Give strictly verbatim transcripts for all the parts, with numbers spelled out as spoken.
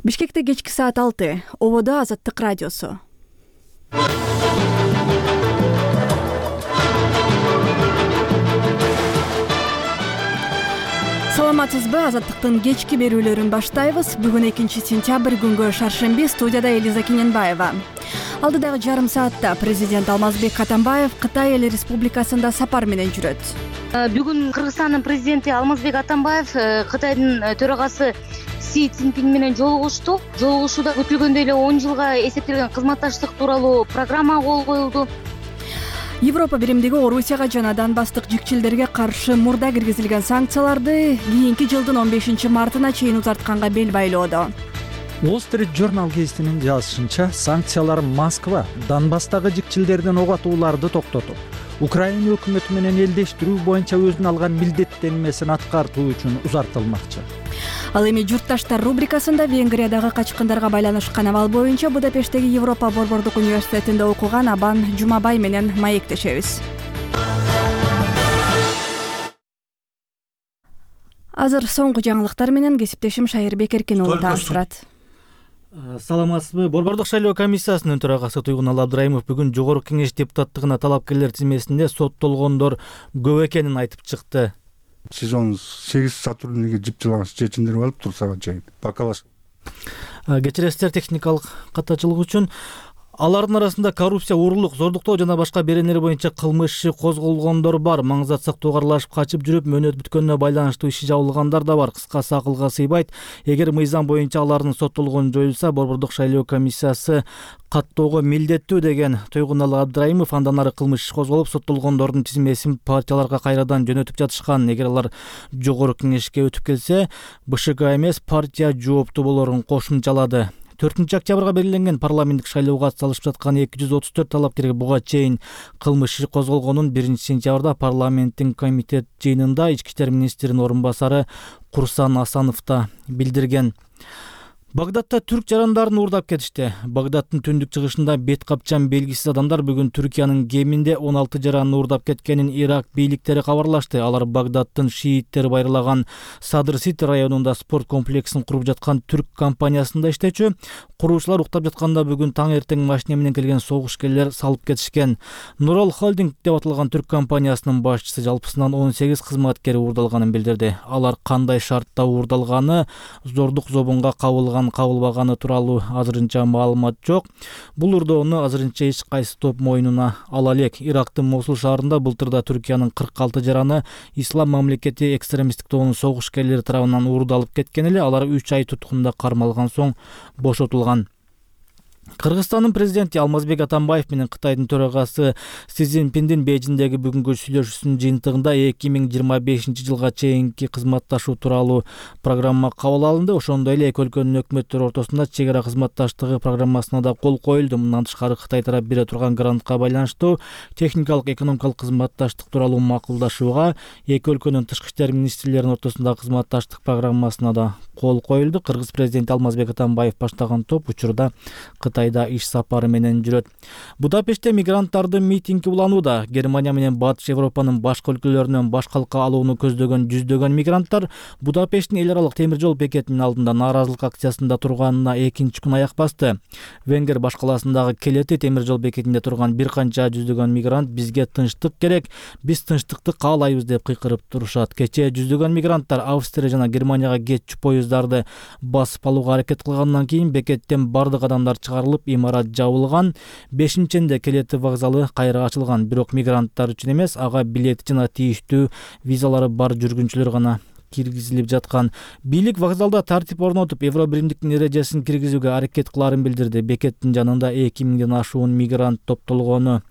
Бишкекте кечки саат алты. Ободо Азаттык радиосу. Саламатсызбы? Азаттыктын кечки берүүлөрүн баштайбыз. Бүгүн экинчи сентябрь күнгө шаршемби. Студияда Элиза Кененбаева. Алдыдагы жарым саатта президент Алмазбек Атамбаев Кытай Эл Республикасында сапар менен жүрөт. Бүгүн Кыргызстандын президенти Алмазбек Атамбаев Кытайдын төрагасы Си Цзиньпин менен жолугушту. Жолугушууда күтүлгөндөй эле он жылга эсептелген кызматташтык тууралуу программа кол коюлду. Европа биримдиги Орусияга жана Донбасстык жикчилдерге каршы мурда киргизилген санкцияларды кийинки жылдын он бешинчи мартына чейин узартканга бел байлоодо. Wall Street Journal гезитинин жазышынча, санкциялар Москва Донбасстагы жикчилдерден ок атууларды токтотуп, Украина өкмөтү менен элдештирүү боюнча өзүнүн алган милдеттенмесин аткартуу үчүн узартылмакчы. Ал эми журтташтар рубрикасында Венгриядагы качкындарга байланышкан абал боюнча Будапешттеги Европа борбордук университетинде окуган Абан Жумабай менен маектешебиз. Азыр соңку жаңылыктар менен кесиптешим Шайырбек Эркин уулу тааныштырат. Саламатсызбы? Борбордук шайлоо комиссиясынын төрагасы Туйгунал Абдраимов бүгүн Жогорку Кеңеш депутаттыгына талапкерлер тизмесинде соттолгондор көп экенин айтып чыкты. Сезон сегиз сотрудниги жыпчылаган чечимдер алып турсага чейин бакалаш. Кечиресиздер техникалык катачылык үчүн. Алардын арасында коррупция, уурулук, зордуктоо жана башка беренелер боюнча кылмыш иши козголгондор бар. Маңызат сактоого аралашып качып жүрүп, мөөнөт бүткөнүнө байланыштуу иши жабылгандар да бар. Кыскасы акылга сыйбайт. Эгер мыйзам боюнча алардын соттолгону жоюлса, борбордук шайлоо комиссиясы каттоого милдеттүү деген Туйгунал Абдраимов андан ары кылмыш иши козголуп, соттолгондордун тизмесин партияларга кайрадан жөнөтүп жатышкан. Эгер алар Жогорку Кеңешке өтүп келсе, БШК эмес, партия жооптуу болорун кошумчалады. төртүнчү октябрга белгиленген парламенттик шайлоого катышып жаткан эки жүз отуз төрт талапкерге буга чейин кылмыш иши козголгонун биринчи сентябрда парламенттин комитет жыйынында ички иштер министринин орун басары Курсан Асанов да билдирген. Багдадта түрк жарандарын уурдап кетишти. Багдадтын түндүк чыгышында бет капчан белгисиз адамдар бүгүн Түркиянын кеминде он алты жаранды уурдап кеткенин Ирак бийликтери кабарлашты. Алар Багдадтын шииттери байырлаган Садр Сити районунда спорт комплексин куруп жаткан түрк компаниясында иштечү. Куруучулар уктап жатканда бүгүн таң эртең машина менен келген согушкерлер салып кетишкен. Нурал Холдинг деп аталган түрк компаниясынын башчысы жалпысынан он сегиз кызматкери уурдалганын билдирди. Алар кандай шартта уурдалганы, зордук зобунга кабылган кабылбаганы тууралуу азырынча маалымат жок. Бул уурдоону азырынча эч кайсы топ мойнуна ала элек. Ирактын Мосул шаарында былтырда Түркиянын кырк алты жараны Ислам мамлекети экстремисттик тобунун согушкерлери тарабынан уурдалып кеткен эле. Алар үч ай туткунда кармалган соң бошотулган. Кыргызстандын президенти Алмазбек Атамбаев менен Кытайдын төрагасы Си Цзиньпиндин Бейжиңдеги бүгүнкү сүйлөшүүсүнүн жыйынтыгында эки миң жыйырма бешинчи жылга чейинки кызматташуу тууралуу программа кабыл алынды. Ошондой эле эки өлкөнүн өкмөттөрү ортосунда чек ара кызматташтыгы программасына да кол коюлду. Мындан тышкары Кытай тарап бере турган грантка байланыштуу техникалык экономикалык кызматташтык тууралуу макулдашууга эки өлкөнүн тышкы иштер министрлеринин ортосундагы кызматташтык программасына да кол коюлду. Кыргыз президенти Алмазбек Атамбаев баштаган топ учурда Кытайда иш сапары менен жүрөт. Будапештте мигранттардын митинги уланууда. Германия менен Батыш Европанын башка өлкөлөрүнөн баш калка алууну көздөгөн жүздөгөн мигранттар Будапешттин эл аралык темир жол бекетинин алдында нааразылык акциясында турганына экинчи күн аяк басты. Венгер баш калаасындагы Келети темир жол бекетинде турган бир канча жүздөгөн мигрант бизге тынчтык керек, биз тынчтыкты каалайбыз деп кыйкырып турушат. Кечээ жүздөгөн мигранттар Австрия жана Германияга кетчү поездарды басып алууга аракет кылгандан кийин бекеттен бардык адамдар чыгарылып, имарат жабылган. бешинчинде Келети вокзалы кайра ачылган. Бирок мигранттар үчүн эмес, ага билети жана тийиштүү визалары бар жүргүнчүлөр гана киргизилип жаткан. Бийлик вокзалда тартип орнотуп, Евро биримдиктин эрежесин киргизүүгө аракет кыларын билдирди. Бекеттин жанында эки миңден ашуун мигрант топтолгону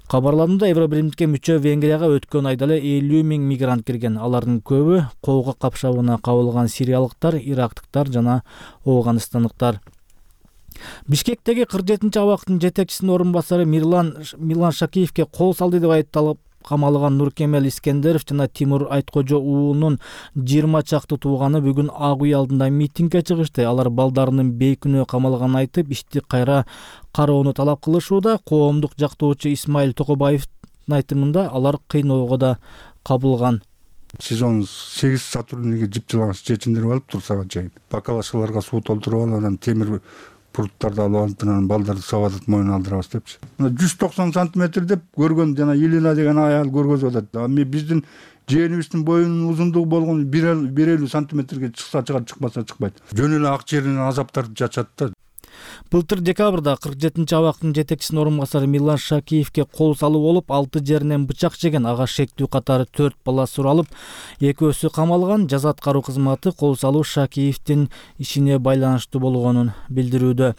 кабарланды. Евро биримдикке мүчө Венгрияга өткөн айда эле элүү миң мигрант кирген. Алардын көбү коого капшабына кабылган сириялыктар, ирактыктар жана афганстандыктар. Бишкектеги кырк жетинчи абактын жетекчисинин орун басары Мирлан Милан Шакиевке кол салды деп айыпталып камалган Нуркемел Искендеров жана Тимур Айткожо уулунун жыйырма чакты тууганы бүгүн Ак үй алдында митингге чыгышты. Алар балдарынын бейкүнөө камалганын айтып, ишти кайра кароону талап кылышууда. Коомдук жактоочу Исмаил Токобаевдин айтымында алар кыйноого да кабылган. сезон сегиз сотрудниги жыпчылаган чечиндирип алып турсага чейин бакалашкаларга суу толтуруп алып анан темир пруттарды алып алып анан балдарды сабатып моюн алдырабыз депчи. жүз токсон сантиметр деп көргөн жана Елена деген аял көргөзүп атат. Эми биздин жээнибиздин боюнун узундугу болгон бир элүү сантиметрге чыкса чыгат, чыкпаса чыкпайт. Жөн эле ак жеринен азаптарды чачат да. Былтыр декабрда кырк жетинчи абактын жетекчисинин орун басары Милан Шакиевке кол салуу болуп, алты жеринен бычак жеген. Ага шектүү катары төрт бала суралып, экөөсү камалган. Жаза аткаруу кызматы кол салуу Шакиевдин ишине байланыштуу болгонун билдирүүдө.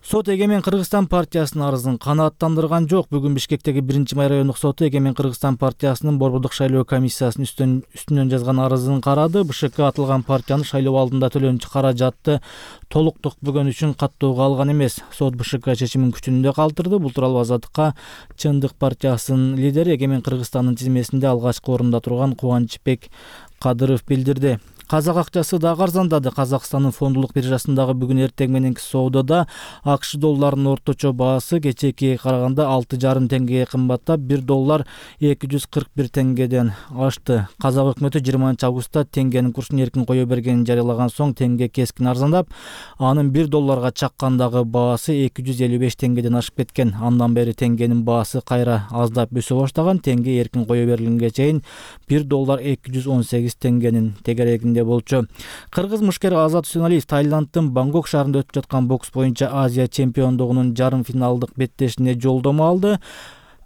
Сот Эгемен Кыргызстан партиясынын арызын канааттандырган жок. Бүгүн Бишкектеги биринчи май райондук соту Эгемен Кыргызстан партиясынын борбордук шайлоо комиссиясынын үстүн үстүнөн жазган арызын карады. БШК атылган партиянын шайлоо алдында төлөнчү каражатты толук токпөгөн үчүн каттоого алган эмес. Сот БШК чечимин күчүндө калтырды. Бул тууралуу Азаттыкка Чындык партиясынын лидери Эгемен Кыргызстандын тизмесинде алгачкы орунда турган Кубанычбек Кадыров билдирди. Казак акчасы дагы арзандады. Казакстандын фондулук биржасындагы бүгүн эртең мененки соодода АКШ долларынын орточо баасы кечээкиге караганда алты жарым теңгеге кымбаттап, бир доллар эки жүз кырк бир теңгеден ашты. Казак өкмөтү жыйырманчы августта теңгенин курсун эркин кое бергенин жарыялаган соң теңге кескин арзандап, анын бир долларга чаккандагы баасы эки жүз элүү беш теңгеден ашып кеткен. Андан бери теңгенин баасы кайра аздап өсө баштаган. Теңге эркин кое берилгенге чейин бир доллар эки жүз он сегиз теңгенин тегерегинде болчу. Кыргыз мушкери Азат Үсеналиев Таиланддын Бангкок шаарында өтүп жаткан бокс боюнча Азия чемпиондугунун жарым финалдык беттешине жолдомо алды.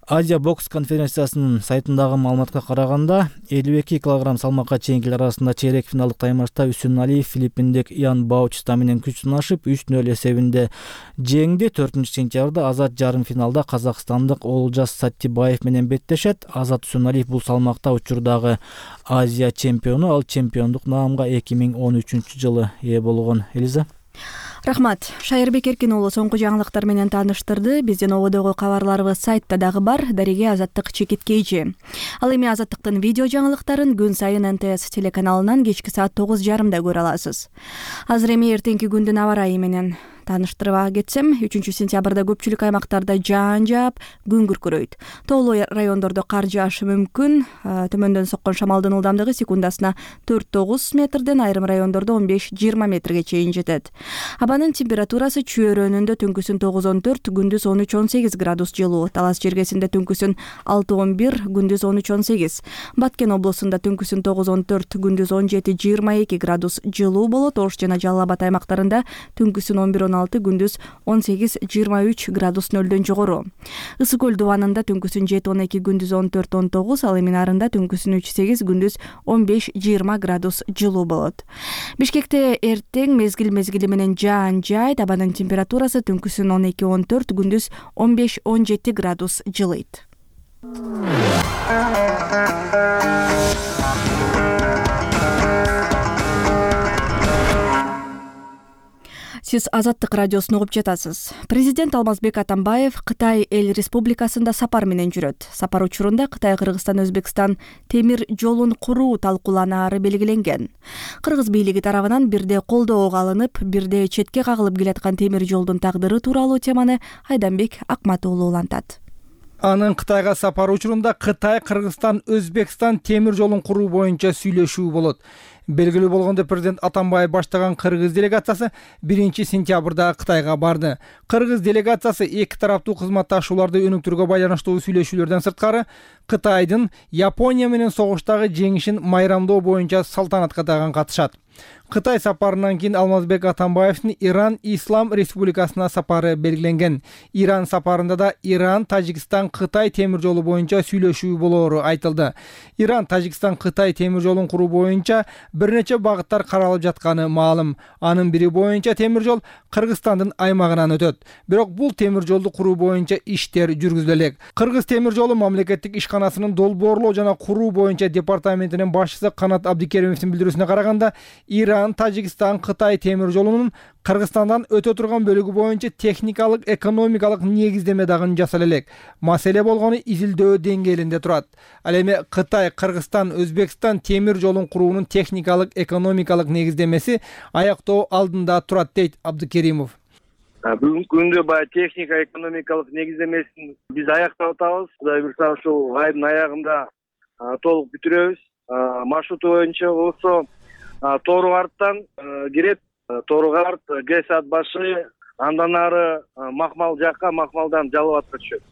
Азия бокс конференциясынын сайтындагы маалыматка караганда элүү эки килограмм салмакка чейинкилер арасында чейрек финалдык таймашта Үсеналиев филиппиндик Ян Баучиста менен күч сынашып үч нөл эсебинде жеңди. төртүнчү сентябрда Азат жарым финалда казакстандык Олжас Саттибаев менен беттешет. Азат Үсеналиев бул салмакта учурдагы Азия чемпиону, ал чемпиондук наамга эки миң он үчүнчү жылы ээ болгон. Элиза. Рахмат. Шайырбек Эркин уулу соңку жаңылыктар менен тааныштырды. Биздин ободогу кабарларыбыз сайтта дагы бар. Дареге Азаттык Чекиткейчи. Ал эми Азаттыктын видео жаңылыктарын күн сайын эн тэ эс телеканалынан кечки саат тогуз жарымда көрө аласыз. Азыр эми эртеңки күндүн аба ырайы менен тааныштырып кетсем, үчүнчү сентябрда көпчүлүк аймактарда жаан жаап, күн күркүрөйт. Тоолуу райондордо кар жаашы мүмкүн. Төмөндөн соккон шамалдын ылдамдыгы секундасына төрт тогуз метрден, айрым райондордо он беш жыйырма метрге чейин жетет. Абанын температурасы чүйөрөнүндө түнкүсүн тогуз он төрт, күндүз он үч он сегиз градус жылуу. Талас жергесинде түнкүсүн алты он бир, күндүз он үч он сегиз. Баткен облусунда түнкүсүн тогуз он төрт, күндүз он жети жыйырма эки градус жылуу болот. Ош жана Жалал Абад аймактарында түнкүсүн он бир он алты, күндүз он сегиз жыйырма үч градус нөлдөн жогору. Ысык көл дубанында түнкүсүн жети он эки, күндүз он төрт он тогуз, ал эми нарында түнкүсүн үч сегиз, күндүз он беш жыйырма градус жылуу болот. Бишкекте эртең мезгил мезгили менен жаан жайт. Абанын температурасы түнкүсүн он эки он төрт, күндүз он беш он жети градус жылыйт. Сиз Азаттык радиосун угуп жатасыз. Президент Алмазбек Атамбаев Кытай эл республикасында сапар менен жүрөт. Сапар учурунда Кытай Кыргызстан Өзбекстан темир жолун куруу талкууланаары белгиленген. Кыргыз бийлиги тарабынан бирде колдоого алынып, бирде четке кагылып келаткан темир жолдун тагдыры тууралуу теманы Айданбек Акмат уулу улантат. Анын Кытайга сапары учурунда Кытай Кыргызстан Өзбекстан темир жолун куруу боюнча сүйлөшүү болот. Белгилүү болгондой, президент Атамбаев баштаган кыргыз делегациясы биринчи сентябрда Кытайга барды. Кыргыз делегациясы эки тараптуу кызматташууларды өнүктүрүүгө байланыштуу сүйлөшүүлөрдөн сырткары Кытайдын Япония менен согуштагы жеңишин майрамдоо боюнча салтанатка дагы катышат. Кытай сапарынан кийин Алмазбек Атамбаевдин Иран Ислам Республикасына сапары белгиленген. Иран сапарында да Иран, Тажикстан, Кытай темир жолу боюнча сүйлөшүү болоору айтылды. Иран, Тажикстан, Кытай темир жолун куруу боюнча бир нече багыттар каралып жатканы маалым. Анын бири боюнча темир жол Кыргызстандын аймагынан өтөт. Бирок бул темир жолду куруу боюнча иштер жүргүзүлө элек. Кыргыз темир жолу мамлекеттик ишканасынын долбоорлоо жана куруу боюнча департаментинин башчысы Канат Абдикеримовдин билдирүүсүнө караганда, Иран, Тажикстан, Кытай темир жолунун Кыргызстандан өтө турган бөлүгү боюнча техникалык, экономикалык негиздеме дагы жасала элек. Маселе болгону изилдөө деңгээлинде турат. Ал эми Кытай, Кыргызстан, Өзбекстан темир жолун куруунун техникалык, экономикалык негиздемеси аяктоо алдында турат, дейт Абдыкеримов. Бүгүнкү күндө баягы техника, экономикалык негиздемесин биз аяктап атабыз. Кудай буюрса ушул айдын аягында толук бүтүрөбүз. маршруту боюнча болсо Тору Карттан кирет, Тору Карт, ГЭС ат башы, андан ары Макмал жакка, Макмалдан Жалал Абадка түшөт.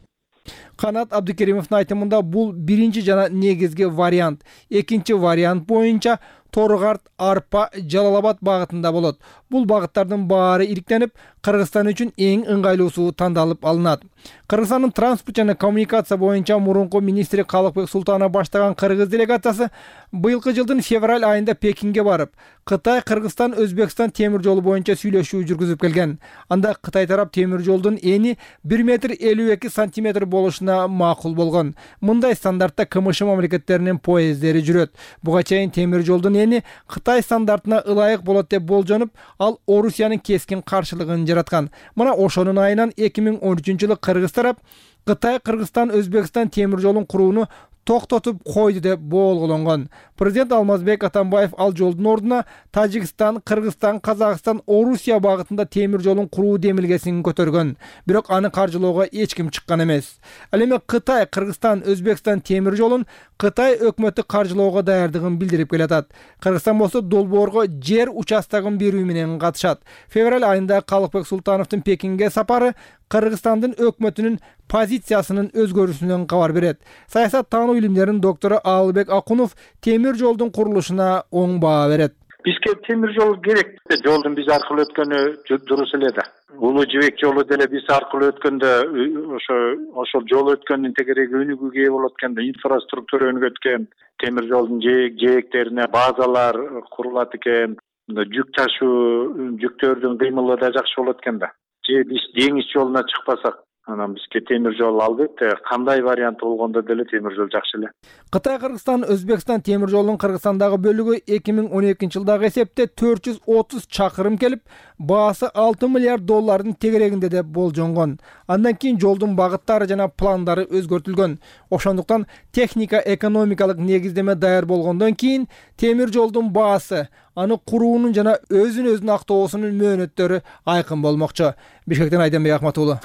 Канат Абдыкеримовдун айтымында бул биринчи жана негизги вариант. Экинчи вариант боюнча Тору Карт, Арпа, Жалал Абад багытында болот. Бул багыттардын баары ириктенип, Кыргызстан үчүн эң ыңгайлуусу тандалып алынат. Кыргызстандын транспорт жана коммуникация боюнча мурунку министри Калыкбек Султанов баштаган кыргыз делегациясы быйылкы жылдын февраль айында Пекинге барып, Кытай, Кыргызстан, Өзбекстан темир жолу боюнча сүйлөшүү жүргүзүп келген. Анда Кытай тарап темир жолдун эни бир метр элүү эки сантиметр болушуна макул болгон. Мындай стандартта КМШ мамлекеттеринин поезддери жүрөт. Буга чейин темир жолдун эни Кытай стандартына ылайык болот деп болжонуп, ал Орусиянын кескин каршылыгын жараткан. Мына ошонун айынан эки миң он үчүнчү жылы Кыргыз тарап Кытай, Кыргызстан, Өзбекстан темир жолун курууну токтотуп койду деп болгологонгон. Президент Алмазбек Атамбаев ал жолдун ордуна Тажикстан, Кыргызстан, Казакстан, Орусия багытында темир жолун куруу демилгесин көтөргөн. Бирок аны каржылоого эч ким чыккан эмес. Ал эми Кытай, Кыргызстан, Өзбекстан темир жолун Кытай өкмөтү каржылоого даярдыгын билдирип келатат. Кыргызстан болсо долбоорго жер участогун берүү менен катышат. Февраль айында Калыкбек Султановдун Пекинге сапары Кыргызстандын өкмөтүнүн позициясынын өзгөрүүсүнөн кабар берет. Саясат таануу илимдеринин доктору Алыбек Акунов темир жолдун курулушуна оң баа берет. Бизге темир жол керек. Жолдун биз аркылуу өткөнү дурус эле да. Улуу жибек жолу деле биз аркылуу өткөндө ошо ошол жол өткөндүн тегереги өнүгүүгө ээ болот экен да, инфраструктура өнүгөт экен, темир жолдун жээк жээктерине базалар курулат экен, жүк ташуу жүктөрдүн кыймылы да жакшы болот экен да. Же биз деңиз жолуна чыкпасак, анан бизге темир жол албетте кандай вариант болгондо деле темир жол жакшы эле. Кытай, Кыргызстан, Өзбекстан темир жолунун Кыргызстандагы бөлүгү эки миң он экинчи жылдагы эсепте төрт жүз отуз чакырым келип, баасы алты миллиард доллардын тегерегинде деп болжонгон. Андан кийин жолдун багыттары жана пландары өзгөртүлгөн. Ошондуктан техника экономикалык негиздеме даяр болгондон кийин темир жолдун баасы, аны куруунун жана өзүн өзүн актоосунун мөөнөттөрү айкын болмокчу. Бишкектен Айденбек Акмат уулу.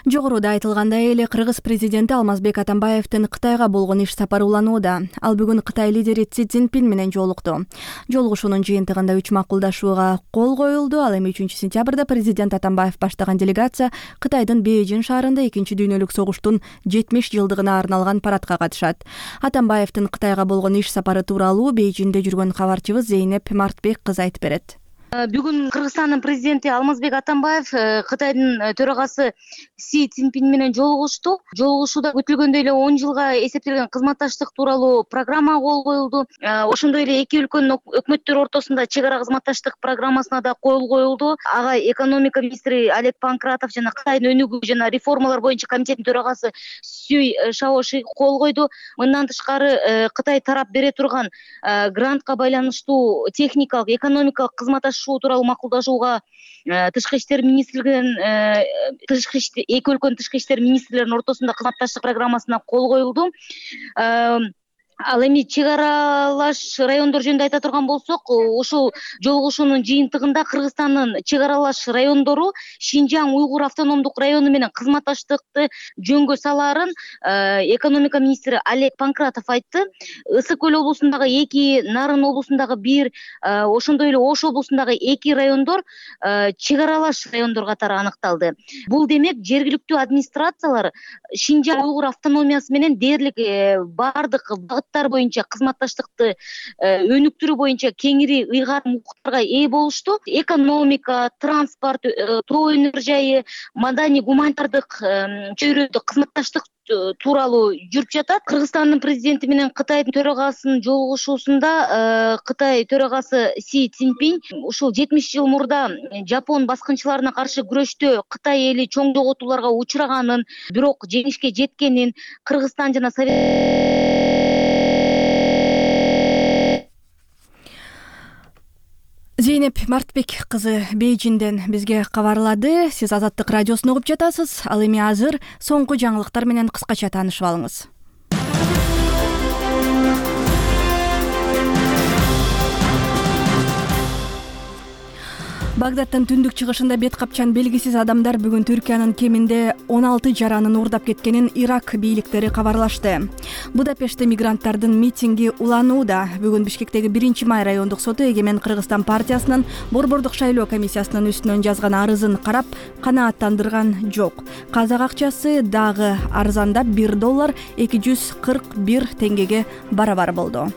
Жогоруда айтылгандай эле Кыргыз президенти Алмазбек Атамбаевдин Кытайга болгон иш сапары уланууда. Ал бүгүн Кытай лидери Си Цзиньпин менен жолукту. Жолугушуунун жыйынтыгында үч макулдашууга кол коюлду. Ал эми үчүнчү сентябрда президент Атамбаев баштаган делегация Кытайдын Бейжин шаарында экинчи дүйнөлүк согуштун жетимиш жылдыгына арналган парадка катышат. Атамбаевдин Кытайга болгон иш сапары тууралуу Бейжинде жүргөн кабарчыбыз Зейнеп Мартбек кызы айтып берет. Бүгүн Кыргызстандын президенти Алмазбек Атамбаев Кытайдын төрагасы Си Цзиньпин менен жолугушту. Жолугушууда күтүлгөндөй эле он жылга эсептелген кызматташтык тууралуу программа кол коюлду. Ошондой эле эки өлкөнүн өкмөттөрү ортосунда чек ара кызматташтык программасына да кол коюлду. Ага экономика министри Олег Панкратов жана Кытайдын өнүгүү жана реформалар боюнча комитеттин төрагасы Сюй Шаоши кол койду. Мындан тышкары Кытай тарап бере турган грантка байланыштуу техникалык, экономикалык кызматташуу тууралуу макулдашууга тышкы иштер министрлигинин тышкы иштер эки өлкөнүн тышкы иштер министрлеринин ортосунда кызматташтык программасына кол коюлду. Ал эми чек аралаш райондор жөнүндө айта турган болсок, ушул жолугушуунун жыйынтыгында Кыргызстандын чек аралаш райондору Шинжаң Уйгур автономдук району менен кызматташтыкты жөнгө салаарын экономика министри Олег Панкратов айтты. Ысык көл облусундагы эки, Нарын облусундагы бир, ошондой эле Ош облусундагы эки райондор чек аралаш райондор катары аныкталды. Бул демек жергиликтүү администрациялар Шинжаң Уйгур автономиясы менен дээрлик бардык багыттар боюнча кызматташтыкты өнүктүрүү боюнча кеңири ыйгарым укуктарга ээ болушту. Экономика, транспорт, тоо өнөр жайы, маданий гуманитардык чөйрөдө кызматташтык тууралуу жүрүп жатат. Кыргызстандын президенти менен Кытайдын төрагасынын жолугушуусунда Кытай төрагасы Си Цзиньпин ушул жетимиш жыл мурда Жапон баскынчыларына каршы күрөштө Кытай эли чоң жоготууларга учураганын, бирок жеңишке жеткенин, Кыргызстан жана Совет Зейнеп Мартбек кызы Бейжинден бизге кабарлады. Сиз Азаттык радиосун угуп жатасыз. Ал эми азыр соңку жаңылыктар менен кыскача таанышып алыңыз. Багдаддын түндүк чыгышында бет капчан белгисиз адамдар бүгүн Түркиянын кеминде он алты жаранын уурдап кеткенин Ирак бийликтери кабарлашты. Будапештте мигранттардын митинги уланууда. Бүгүн Бишкектеги биринчи май райондук соту Эгемен Кыргызстан партиясынын Борбордук шайлоо комиссиясынын үстүнөн жазган арызын карап, канааттандырган жок. Казак акчасы дагы арзандап бир доллар эки жүз кырк бир теңгеге барабар болду.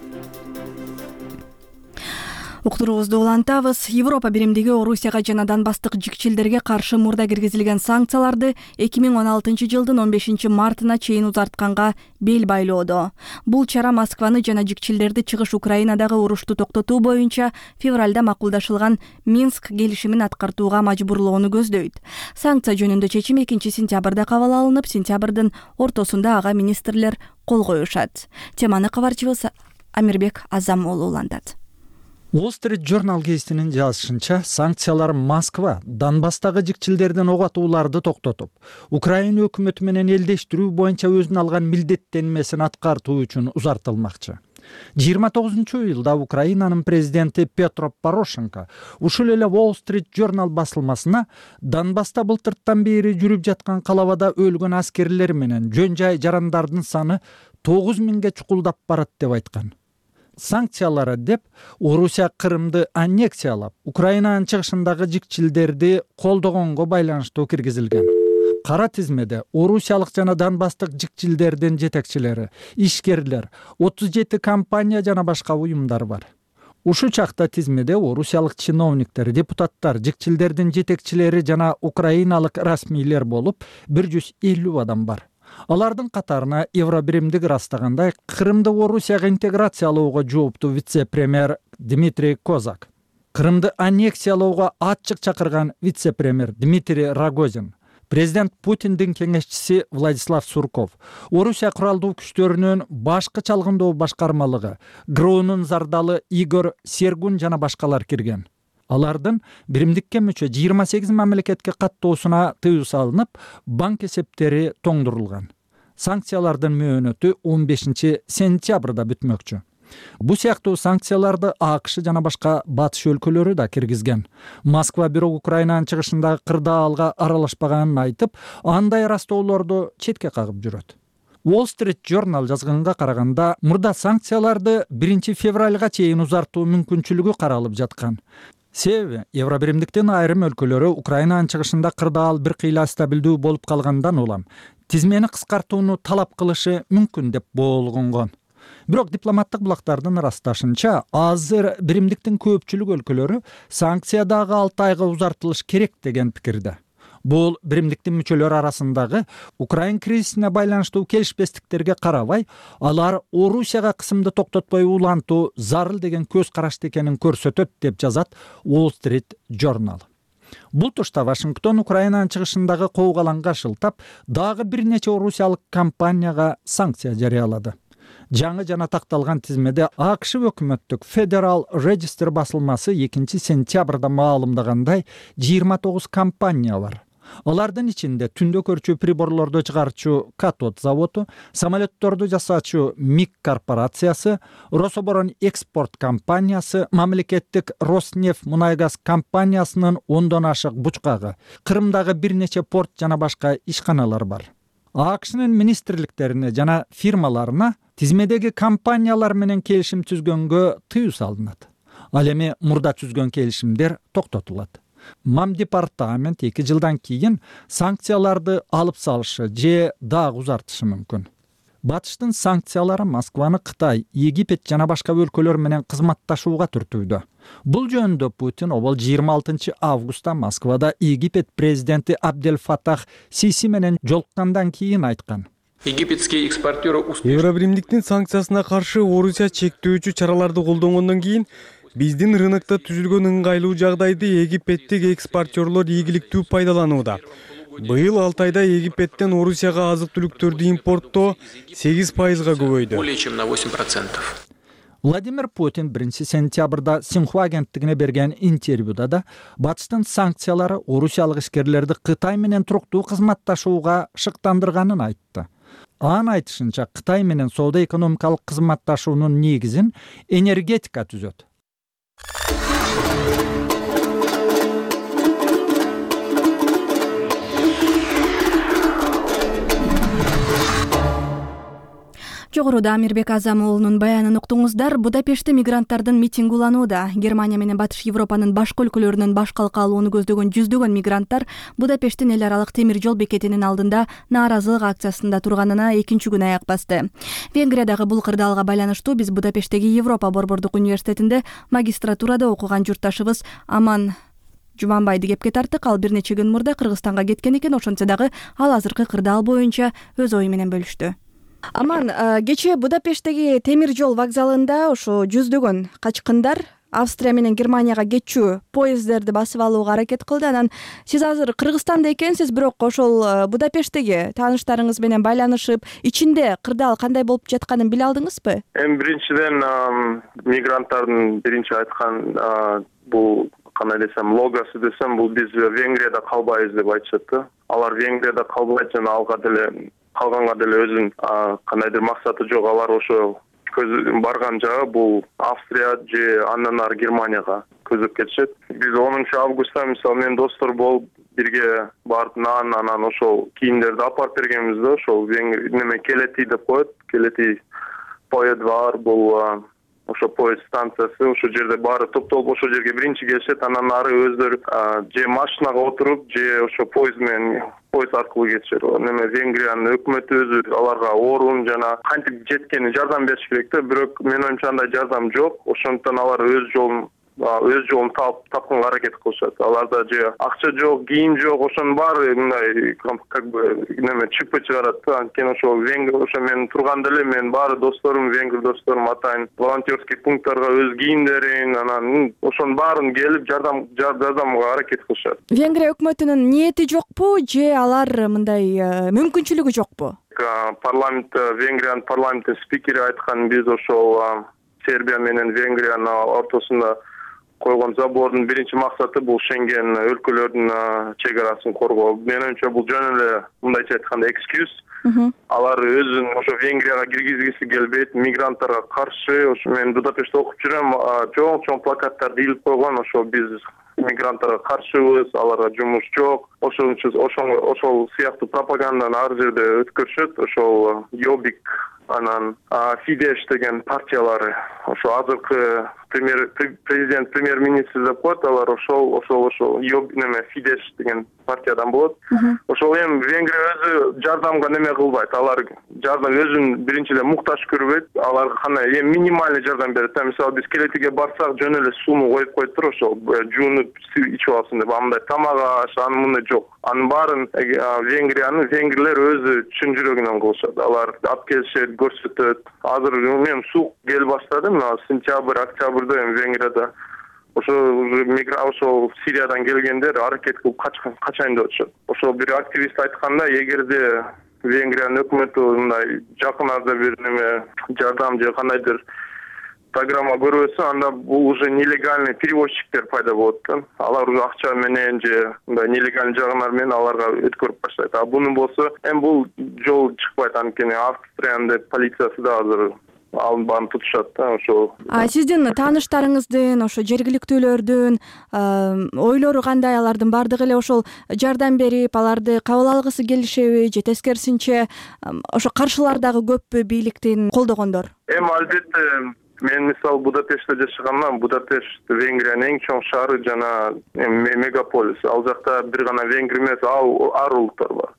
Уктуруубузду улантабыз. Европа биримдиги Орусияга жана Донбасстык жикчилдерге каршы мурда киргизилген санкцияларды эки миң он алтынчы жылдын он бешинчи мартына чейин узартканга бел байлоодо. Бул чара Москваны жана жикчилдерди чыгыш Украинадагы урушту токтотуу боюнча февралда макулдашылган Минск келишимин аткартууга мажбурлоону көздөйт. Санкция жөнүндө чечим экинчи сентябрда кабыл алынып, сентябрдын ортосунда ага министрлер кол коюшат. Теманы кабарчыбыз Амирбек Азам уулу улантат. Wall Street Journal гезитинин жазышынча, санкциялар Москва Донбасстагы жикчилдердин ок атууларды токтотуп, Украина өкмөтү менен элдештирүү боюнча өзүнө алган милдеттенмесин аткартуу үчүн узартылмакчы. жыйырма тогузунчу июлда Украинанын президенти Петро Порошенко ушул эле Wall Street Journal басылмасына Донбасста былтыртан бери жүрүп жаткан калабада өлгөн аскерлер менен жөн жай жарандардын саны тогуз миңге чукулдап барат деп айткан. Санкциялары деп Орусия Крымды аннексиялап, Украинанын чыгышындагы жикчилдерди колдогонго байланыштуу киргизилген. Кара тизмеде орусиялык жана донбасстык жикчилдердин жетекчилери, ишкерлер, отуз жети компания жана башка уюмдар бар. Ушул чакта тизмеде орусиялык чиновниктер, депутаттар, жикчилдердин жетекчилери жана украиналык расмийлер болуп бир жүз элүү адам бар. Алардын катарына Евробиримдик ырастагандай Крымды Орусияга интеграциялоого жооптуу вице-премьер Дмитрий Козак, Крымды аннексиялоого ачык чакырган вице-премьер Дмитрий Рогозин, президент Путиндин кеңешчиси Владислав Сурков, Орусия куралдуу күчтөрүнүн башкы чалгындоо башкармалыгы ГРУнун зардалы Игорь Сергун жана башкалар кирген. Алардын биримдикке мүчө жыйырма сегиз мамлекетке каттоосуна тыюу салынып, банк эсептери тоңдурулган. Санкциялардын мөөнөтү он бешинчи сентябрда бүтмөкчү. Бу сыяктуу санкцияларды АКШ жана башка батыш өлкөлөрү да киргизген. Москва бирок Украинанын чыгышындагы кырдаалга аралашпаганын айтып, андай ырастоолорду четке кагып жүрөт. Wall Street Journal жазганга караганда, мурда санкцияларды биринчи февралга чейин узартуу мүмкүнчүлүгү каралып жаткан. Себеби Евробиримдиктин айрым өлкөлөрү Украинанын чыгышында кырдаал бир кыйла стабилдүү болуп калгандан улам тизмени кыскартууну талап кылышы мүмкүн деп болгонгон. Бирок дипломаттык булактардын ырасташынча, азыр биримдиктин көпчүлүк өлкөлөрү санкция дагы алты айга узартылыш керек деген пикирде. Бул биримдиктин мүчөлөрү арасындагы Украин кризисине байланыштуу келишпестиктерге карабай, алар Орусияга кысымды токтотпой улантуу зарыл деген көз карашты экенин көрсөтөт деп жазат Wall Street Journal. Бул тушта Вашингтон Украинанын чыгышындагы коогаланга шылтап, дагы бир нече орусиялык компанияга санкция жарыялады. Жаңы жана такталган тизмеде АКШ өкмөттүк Federal Register басылмасы экинчи сентябрда маалымдагандай жыйырма тогуз компания бар. Алардын ичинде түндө көрчү приборлорду чыгарчу Катод заводу, самолетторду жасаачу МИГ корпорациясы, Рособорон экспорт компаниясы, мамлекеттик Роснефть мунай газ компаниясынын ондон ашык бучкагы, Крымдагы бир нече порт жана башка ишканалар бар. АКШнын министрликтерине жана фирмаларына тизмедеги компаниялар менен келишим түзгөнгө тыюу салынат. Ал эми мурда түзгөн келишимдер токтотулат. Мам департамент эки жылдан кийин санкцияларды алып салышы же дагы узартышы мүмкүн. Батыштын санкциялары Москваны Кытай, Египет жана башка өлкөлөр менен кызматташууга түртүүдө. Бул жөнүндө Путин обол жыйырма алтынчы августта Москвада Египет президенти Абдель Фатах Сиси менен жолуккандан кийин айткан. Египетские экспортеры Евробиримдиктин санкциясына каршы Орусия чектөөчү чараларды колдонгондон кийин биздин рынокто түзүлгөн ыңгайлуу жагдайды египеттик экспортерлор ийгиликтүү пайдаланууда. Быйыл алты айда Египеттен Орусияга азык-түлүктөрдү импорттоо сегиз пайызга көбөйдү. более чем на восемь процентов. Владимир Путин биринчи сентябрда Синхуа агенттигине берген интервьюда да батыштын санкциялары орусиялык ишкерлерди Кытай менен туруктуу кызматташууга шыктандырганын айтты. Анын айтышынча, Кытай менен соода экономикалык кызматташуунун негизин энергетика түзөт. жогоруда Амирбек Азам уулунун баянын уктуңуздар. Будапештте мигранттардын митинги уланууда. Германия менен Батыш Европанын башка өлкөлөрүнөн баш калка алууну көздөгөн жүздөгөн мигранттар Будапешттин эл аралык темир жол бекетинин алдында нааразылык акциясында турганына экинчи күн аяк басты. Венгриядагы бул кырдаалга байланыштуу биз Будапешттеги Европа борбордук университетинде магистратурада окуган журтташыбыз Аман Жуманбайды кепке тарттык. Ал бир нече күн мурда Кыргызстанга кеткен экен. Ошентсе дагы ал азыркы кырдаал боюнча өз ою менен бөлүштү. Аман, кечээ Будапешттеги темир жол вокзалында ошо жүздөгөн качкындар Австрия менен Германияга кетчү поезддерди басып алууга аракет кылды. Анан сиз азыр Кыргызстанда экенсиз, бирок ошол Будапешттеги тааныштарыңыз менен байланышып, ичинде кырдаал кандай болуп жатканын биле алдыңызбы? Эми биринчиден мигранттардын биринчи айткан бул кандай десем логосу десем, бул биз Венгрияда калбайбыз деп айтышат да. Алар Венгрияда калбайт жана алга деле калганга деле өзүнүн кандайдыр максаты жок. Алар ошо көз барган жагы бул Австрия же андан ары Германияга көздөп кетишет. Биз онунчу августта мисалы менен достор болуп бирге барып нан анан ошол кийимдерди алып бергенбиз да. Ошол неме Келети деп коет. Келети поезд бар, бул ошо поезд станциясы, ошол жерде баары топтолуп ошол жерге биринчи келишет. Анан ары өздөрү же машинага отуруп же ошо поезд менен поезд аркылуу кетишет. Неме Венгриянын өкмөтү өзү аларга орун жана кантип жеткени жардам бериш керек да. Бирок менин оюмча андай жардам жок. Ошондуктан алар өз жолун өз жолун тапканга аракет кылышат. Аларда же акча жок, кийим жок, ошонун баары мындай как бы неме чипы чыгарат да. Анткени ошо венгр ошо мен турганда эле мен баары досторум, венгр досторум атайын волонтерский пункттарга өз кийимдерин, анан ошонун баарын келип жардам жардамга аракет кылышат. Венгрия өкмөтүнүн ниети жокпу же алар мындай мүмкүнчүлүгү жокпу? Парламент Венгриянын парламенттин спикери айткан, биз ошол Сербия менен Венгриянын ортосунда койгон забордун биринчи максаты бул Шенген өлкөлөрдүн чек арасын коргоо. Менин оюмча бул жөн эле мындайча айтканда экскьюз. Алар өзүн ошо Венгрияга киргизгиси келбейт, мигранттарга каршы. Ошо мен Будапештте окуп жүрөм, чоң-чоң плакаттарды илип койгон. Ошо биз мигранттарга каршыбыз, аларга жумуш жок. Ошол үчүн ошол ошол сыяктуу пропаганданы ар жерде өткөрүшөт. Ошол Йобик анан Фидеш деген партиялары, ошо азыркы премьер президент премьер-министр деп коет, алар ошол ошол ошол Йоб неме Фидеш деген партиядан болот. Ошол эми Венгрия өзү жардамга неме кылбайт. Алар жардам өзүн биринчиден муктаж көрбөйт. Алар кандай эми минимальный жардам берет. Мисалы биз Келетиге барсак жөн эле сууну коюп коет, ошол жуунуп ичип алсын деп. Андай тамак аш анын мындай жок. Анын баарын Венгриянын венгрлер өзү чын жүрөгүнөн кылышат. Алар алып келишет, көрсөтөт. Азыр эми суук кел баштады, мына сентябрь, октябрда эми Венгрияда ошо мигрант ошол Сириядан келгендер аракет кылып качайын деп атышат. Ошол бир активист айтканда, эгерде Венгриянын өкмөтү мындай жакын арада бир неме жардам же кандайдыр программа көрбөсө, анда бул уже нелегальный перевозчиктер пайда болот да. Алар уже акча менен же мындай нелегальный жагынар менен аларга өткөрүп баштайт. А бунун болсо эми бул жол чыкпайт, анткени Австриянын полициясы да азыр алын баарын тутушат да. Ошо сиздин тааныштарыңыздын, ошо жергиликтүүлөрдүн ойлору кандай? Алардын баардыгы эле ошол жардам берип, аларды кабыл алгысы келишеби же тескерисинче ошо каршылар дагы көппү бийликтин колдогондор? Эми албетте мен мисалы Будапештте жашагандан, Будапешт Венгриянын эң чоң шаары жана мегаполис. Ал жакта бир гана венгр эмес, ар улуттар бар.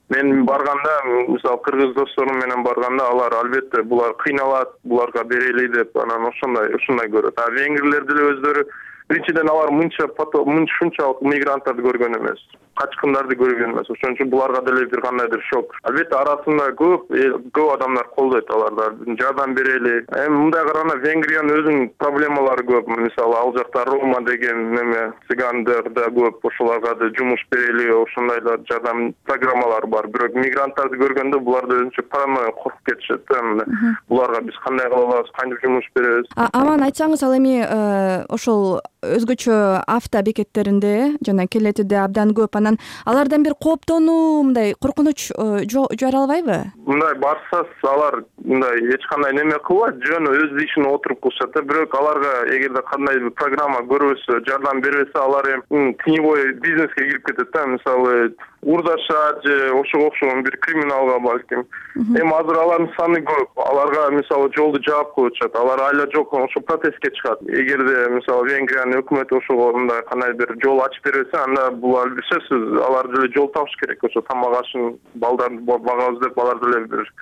Мен барганда, мисалы кыргыз досторум менен барганда, алар албетте булар кыйналат, буларга берели деп, анан ошондой ошондой көрөт. А венгрлер деле өздөрү биринчиден алар мынча мынчалык мигранттарды көргөн эмес, качкындарды көргөн эмес. Ошон үчүн буларга деле бир кандайдыр шок. Албетте арасында көп көп адамдар колдойт аларды, жардам берели. Эми мындай караганда Венгриянын өзүнүн проблемалары көп. Мисалы ал жакта Рома деген неме цыгандар да көп, ошолорго да жумуш берели, ошондайлар жардам программалары бар. Бирок мигранттарды көргөндө булар да өзүнчө паранойя коркуп кетишет да. Буларга биз кандай кыла алабыз, кантип жумуш беребиз? Аман, айтсаңыз, ал эми ошол өзгөчө авто бекеттеринде жана Келетиде абдан көп. Анан алардан бир кооптонуу, мындай коркунуч жаралбайбы? Мындай барсас алар мындай эч кандай неме кылбайт, жөн өз ишине отуруп кылышат да. Бирок аларга эгерде кандай бир программа көрбөсө, жардам бербесе, алар эми теневой бизнеске кирип кетет да. Мисалы урдаша же ошого окшогон бир криминалга балким. Эми азыр алардын саны көп. Аларга мисалы жолду жаап коюп атышат. Алар айла жок ошо протестке чыгат. Эгерде мисалы Венгриянын өкмөтү ошого мындай кандай бир жол ачып бербесе, анда бул албетте алар деле жол табыш керек. Ошо тамак ашын балдарды багабыз деп алар деле бир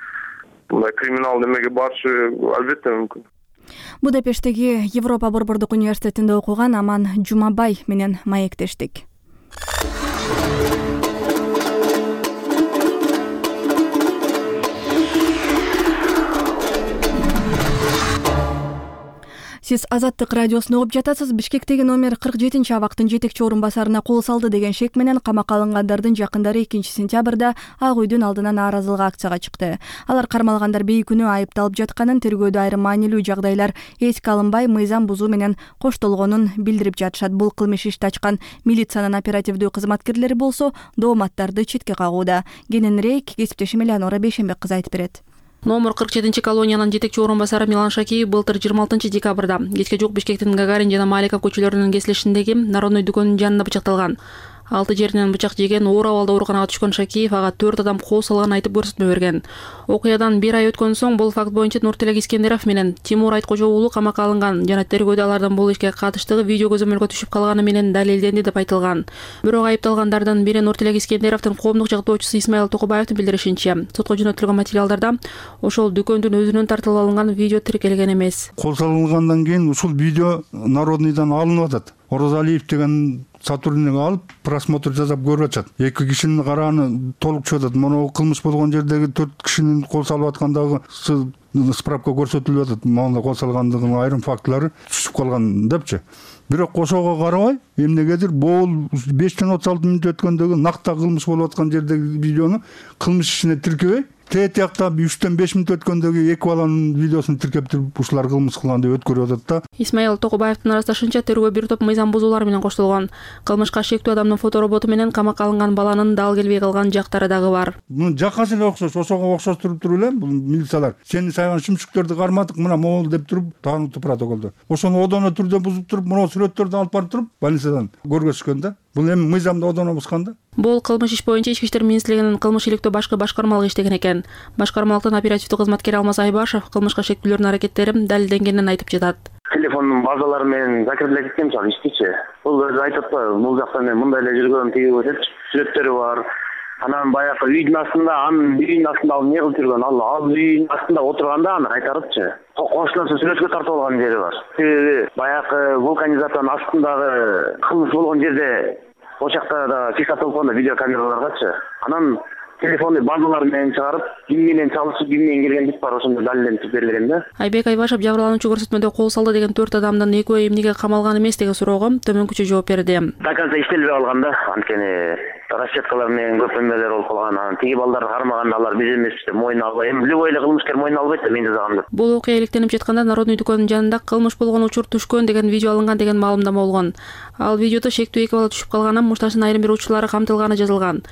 мындай криминал немеге барышы албетте мүмкүн. Будапешттеги Европа борбордук университетинде окуган Аман Жумабай менен маектештик. Сиз Азаттык радиосун угуп жатасыз. Бишкектеги номер кырк жетинчи абактын жетекчи орун басарына кол салды деген шек менен камакка алынгандардын жакындары экинчи сентябрда Ак үйдүн алдына нааразылык акцияга чыкты. Алар кармалгандар бейкүнөө айыпталып жатканын, тергөөдө айрым маанилүү жагдайлар эске алынбай, мыйзам бузуу менен коштолгонун билдирип жатышат. Бул кылмыш ишти ачкан милициянын оперативдүү кызматкерлери болсо дооматтарды четке кагууда. Кененирээк кесиптешим Элеонора Бейшенбек кызы айтып берет. Номер кырк жетинчи колониянын жетекчи орун басары Милан Шакиев былтыр жыйырма алтынчы декабрда кечке жук Бишкектин Гагарин жана Маликов көчөлөрүнүн кесилишиндеги Народный дүкөнүнүн жанында бычакталган. Алты жеринен бычак жеген, оор абалда ооруканага түшкөн Шакиев ага төрт адам кол салганын айтып көрсөтмө берген. Окуядан бир ай өткөн соң бул факт боюнча Нуртилек Искендеров менен Тимур Айткожо уулу камакка алынган жана тергөөдө алардын бул ишке катыштыгы видео көзөмөлгө түшүп калганы менен далилденди деп айтылган. Бирок айыпталгандардын бири Нуртилек Искендеровдун коомдук жактоочусу Исмаил Токубаевдин билдиришинче, сотко жөнөтүлгөн материалдарда ошол дүкөндүн өзүнөн тартылып алынган видео тиркелген эмес. Кол салынгандан кийин ушул видео Народныйдан алынып атат. Орозалиев деген сотрудник алып просмотр жасап көрүп атышат. Эки кишинин карааны толук чыгып атат. Мону кылмыш болгон жердеги төрт кишинин кол салып аткандагы справка көрсөтүлүп атат. Мону кол салгандыгынын айрым фактылары түшүп калган депчи. Бирок ошого карабай, эмнегедир бул бештен отуз алты мүнөт өткөндөгү накта кылмыш болуп аткан жердеги видеону кылмыш ишине тиркебей, тет жакта үчтөн беш мүнөт өткөндөгү эки баланын видеосун тиркеп туруп ушулар кылмыш кылган деп өткөрүп атат да. Исмаил Токубаевдин арыздашынча тергөө бир топ мыйзам бузуулар менен коштолгон. Кылмышка шектүү адамдын фотороботу менен камакка алынган баланын дал келбей калган жактары дагы бар. Мунун жакасы эле окшош, ошого окшоштуруп туруп эле бул милициялар сени сайган шүмшүктөрдү кармадык, мына могул деп туруп таанытуу протоколдо. Ошону одоно түрдө бузуп туруп, мына сүрөттөрдү алып барып туруп больницадан көргөзүшкөн да. Бул эми мыйзамды одоно бузган да. Бул кылмыш иш боюнча Ички иштер министрлигинин кылмыш иликтөө башкы башкармалыгы иштеген экен. Башкармалыктын оперативдүү кызматкери Алмаз Айбашев кылмышка шектүүлөрдүн аракеттери далилденгенин айтып жатат. Телефондун базалары менен закреплеп кеткен мисалы иштичи. Бул өзү айтып атпайбы, бул жакта мен мындай эле жүргөм, тиги депчи, сүрөттөрү бар. Анан баягы үйдүн астында, анын үйүнүн астында ал эмне кылып жүргөн, ал ал үйүнүн астында отурганда аны кайтарыпчы. Кошунасы сүрөткө тартып алган жери бар. Себеби баягы вулканизатордун астындагы кылмыш болгон жерде о жакта да фиксацияланган видеокамераларгачы. Анан телефонду базалар менен чыгарып, ким менен чалышып, ким менен келген деп бар, ошондо далилденип берилген да. Айбек Айбашев жабырлануучу көрсөтмөдө кол салды деген төрт адамдын экөө эмнеге камалган эмес деген суроого төмөнкүчө жооп берди. До конца иштелбей калган да, анткени расчеткалар менен көп эмелер болуп калган. Анан тиги балдарды кармаганда алар биз эмес деп мойнуна албай, эми любой эле кылмышкер мойнуна албайт да, мен жасагам деп. Бул окуя иликтенип жатканда Народный дүкөнүнүн жанында кылмыш болгон учур түшкөн деген видео алынган деген маалымдама болгон. Ал видеодо шектүү эки бала түшүп калганын, мушташтын айрым бир учурлары камтылганы жазылган.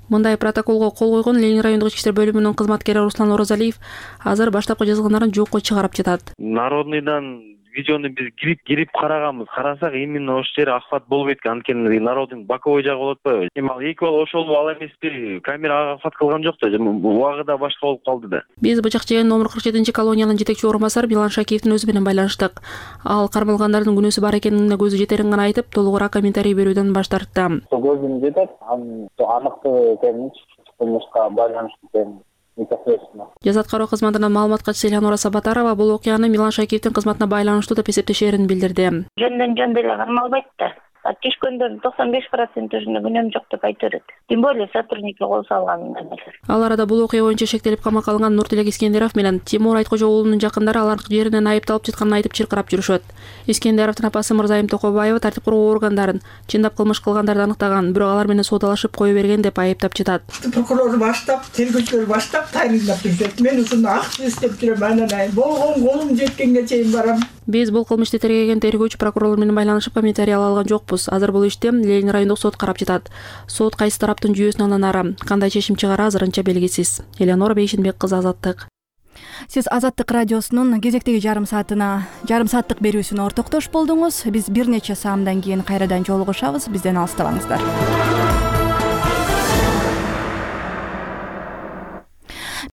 Мындай протоколго кол койгон Ленин райондук ички иштер бөлүмүнүн кызматкери Руслан Орозалиев азыр баштапкы жазылгандарын жокко чыгарып жатат. Народныйдан видеону биз кирип кирип караганбыз. Карасак именно ошол жери охват болбойт экен, анткени Народный боковой жагы болуп атпайбы. Эми ал эки бала ошол ал эмеспи, камера ага охват кылган жок да, убагы да башка болуп калды да. Биз бычак жеген номер кырк жетинчи колониянын жетекчи орун басары Милан Шакиевдин өзү менен байланыштык. Ал кармалгандардын күнөөсү бар экенине көзү жетерин гана айтып, толугураак комментарий берүүдөн баш тартты. Көзүм жетет, анын аныктыгы экенин кылмышка байланыштуу экенин. Жаза аткаруу кызматынын маалымат катчысы Элеонора Сабатарова бул окуяны Милан Шакиевдин кызматына байланыштуу деп эсептешерин билдирди. Жөндөн жөн деле кармалбайт да. Түшкөндөрдүн токсон беш проценти өзүнө күнөөм жок деп айта берет. Тем более сотрудникке кол салган. Ал арада бул окуя боюнча шектелип камакка алынган Нуртилек Искендеров менен Тимур Айткожо уулунун жакындары алардын жеринен айыпталып жатканын айтып чыркырап жүрүшөт. Искендеровдун апасы Мырзайым Токобаева тартип куруу органдарын чындап кылмыш кылгандарды аныктаган, бирок алар менен соодалашып кое берген деп айыптап жатат. Прокурор баштап, тергөөчүлөр баштап тайындап жүрүшөт. Мен ушуну акча издеп жүрөм, анан болгон колум жеткенге чейин барам. Биз бул кылмышты тергеген тергөөчү прокурорлор менен байланышып комментарий ала алган жокпуз. Азыр бул ишти Ленин райондук сот карап жатат. Сот кайсы тараптын жүйөсүнө андан ары кандай чечим чыгары азырынча белгисиз. Элеонора Бейшенбек кызы, Азаттык. Сиз Азаттык радиосунун кезектеги жарым саатына жарым сааттык берүүсүнө ортоктош болдуңуз. Биз бир нече саамдан кийин кайрадан жолугушабыз. Бизден алыстабаңыздар.